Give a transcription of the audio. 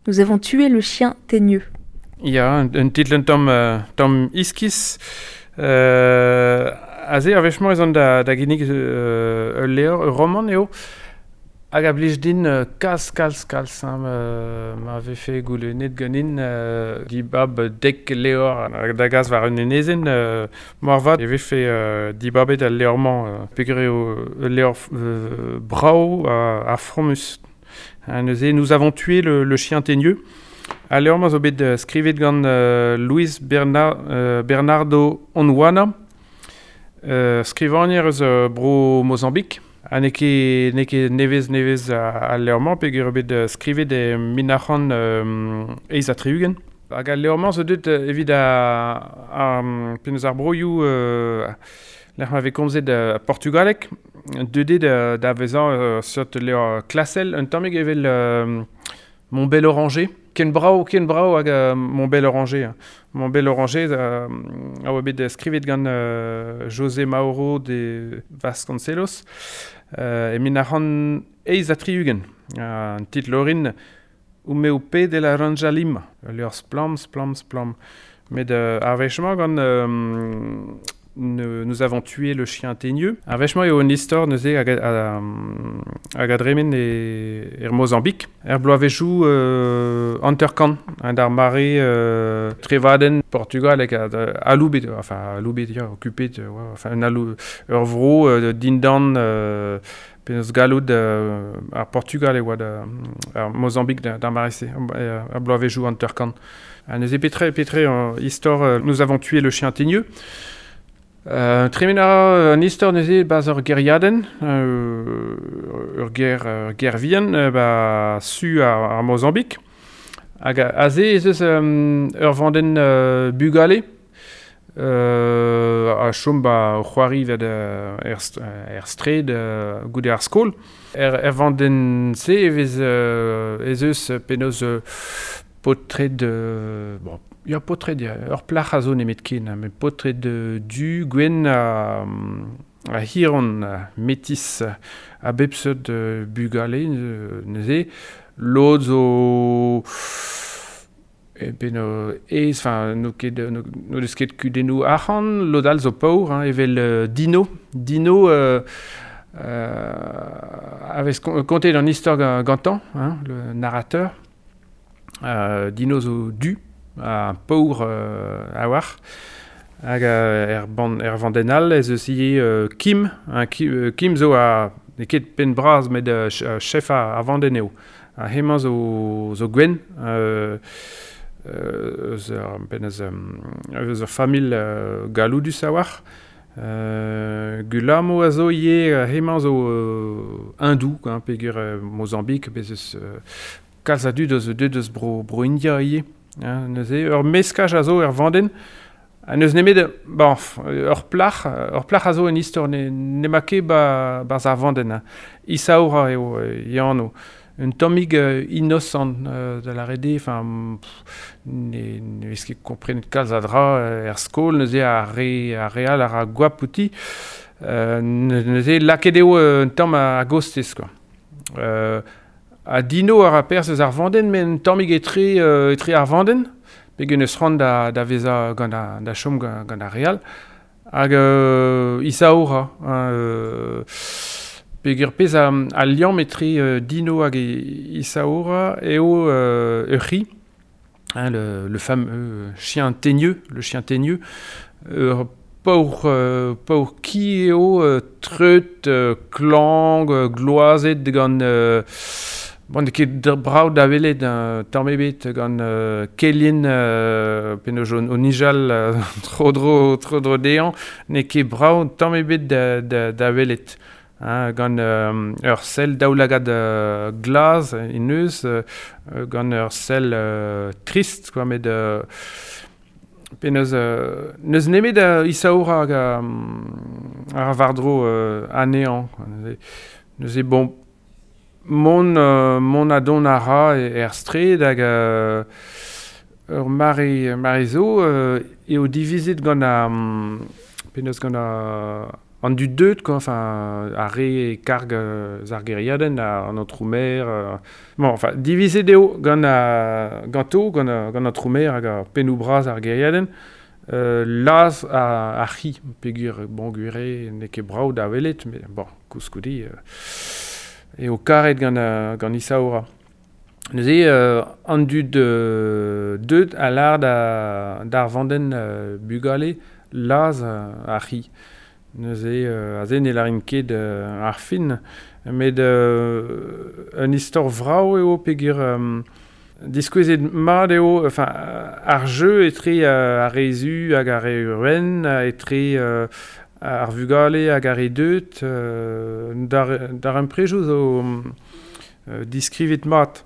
Nous avons tué le chien teigneux. Ya, un titl un tamm, tamm iskis. Aze, ar wech-mañ ez an da, da ginnig ul levr, ur romant eo, hag a blij din kalz, kalz, kalz, hein, ma vefe goulennet ganin dibab dek levr da gas war un enezenn, moarvat e vefe dibabet al levr-mañ, peogwir eo ul levr brav ha fromus. Hein, neuze, Nous avons tué le chien teigneux. Al levr-mañ zo bet skrivet gant Luis Bernardo Honwana, skrivagner eus bro Mozambik. Ha n'eo ket, n'eo ket nevez-nevez al levr-mañ peogwir eo bet skrivet e 1968. Hag al levr-mañ zo deuet evit ar, penaos ar broioù lec'h ma vez komzet portugaleg, deuet eo da vezañ ur seurt levr klasel, un tammig evel Mon bel oranger. Ken brav, ken brav hag Mon bel oranger. Mon bel oranger a oa bet skrivet gant José Mauro de Vasconcelos e 1968. An titl orin O meu pé de laranja lima. Ul levr splann, splann, splann. Met ar wech-mañ gant Nous avons tué le chien teigneux. Ar wech-mañ eo un istor neuze hag hag a dremen e, er Mozambik. Er bloavezhioù 50, hein, d'ar mare trevadenn Portugal hag aloubet, enfin aloubet, ya, occupet, ouais, enfin un alou, ur vro dindan penaos galloud ar Portugal e oa da, ar Mozambik d'ar mare-se, ar bloavezhioù 50. Ha neuze petra, petra istor Nous avons tué le chien teigneux. Tremen a ra an istor neuze 'barzh ur gêriadenn, ur gêr, ur gêr vihan 'ba su ar Mozambik. Hag aze ez eus ur vandenn bugale a chom 'ba o c'hoari 'vet er, er straed goude ar skol. Er, er vandenn-se e vez ez eus penaos paotred bon, ya paotred ya, ur plac'h a zo nemetken, met paotred du, gwenn ha, ha hiron, metis, a bep seurt bugale neuze. Lod zo e penno aes, enfin n'o ket n'o deus ket kudennoù arc'hant, lod all zo paour, hein, evel Dino. Dino a vez kontet an istor gantañ, hein, le narrateur. Dino zo du, ha paour a-walc'h. Hag er, ban, er vandenn all ez eus ivez Kim. Hein, Kim, Kim zo a, n'eo ket penn bras met chef ar vandenn eo. Ha hemañ zo, zo gwenn eus ur, penaos, eus ur familh galloudus a-walc'h. Gulamo a zo ivez, hemañ zo hindou, hein, peogwir Mozambik, bez eus kalz a dud eus deuet eus bro, bro India ivez. Hein, neuze, ur meskaj a zo er vandenn. Ha n'eus nemet, bon, ur plac'h, ur plac'h a zo en istor ne n'emañ ket ba, 'barzh ar vandenn. Hein. Isaura eo e anv. Un tammig inosant da lâret eo, enfin, ne, ne vez ket komprenet kalz a dra er skol, neuze ar re, ar re all a ra goap outi. Neuze lakaet eo un tamm a-gostez, quoi. Ha Dino a ra perzh eus ar vandenn, met un tammig etre, etre ar vandenn, pegen eus c'hoant da, da vezañ gant ar, da chom gant, gant ar re all. Hag Isaura, hein, peogwir pezh a, al liamm etre Dino hag Isaura eo ur c'hi, hein, le fameux chien teigneux, le chien teigneux, ur paour, paour ki eo, treut, klañv, gloazet gant bon, n'eo ket brav da welet tamm ebet gant kelien penaos o nijal tro-dro tro-dro dezhañ, n'eo ket brav tamm ebet da, da, da welet. Hein, gant ur sell daoulagad glas en deus, gant ur sell trist, quoi, met penaos n'eus nemet Isaura hag a ra war-dro anezhañ, quoi. Neuze, neuze bon, mont, mont ha dont a ra er straed hag ur mare, mare zo eo divizet gant ar penaos gant ar an dud deut, quoi, enfin, ar re e karg eus ar gêriadenn, an aotrou-maer. Bon, enfin, divizet eo gant a, ganto, gant, a, gant an aotrou-maer hag ar pennoù bras ar gêriadenn, laz ar c'hi, peogwir, bon, gwir eo, n'eo ket brav da welet, met bon, koulskoude, eo karet gant, gant Isaura. Neuze, an dud deut a lâr da, d'ar vandenn bugale laz ar c'hi. Neuze, aze ne lârin ket ar fin, met un istor vrav eo peogwir diskouezet mat eo enfin, ar jeu etre ar re zu hag ar re wenn, etre ar vugale hag ar re deut, darempredoù zo diskrivet mat.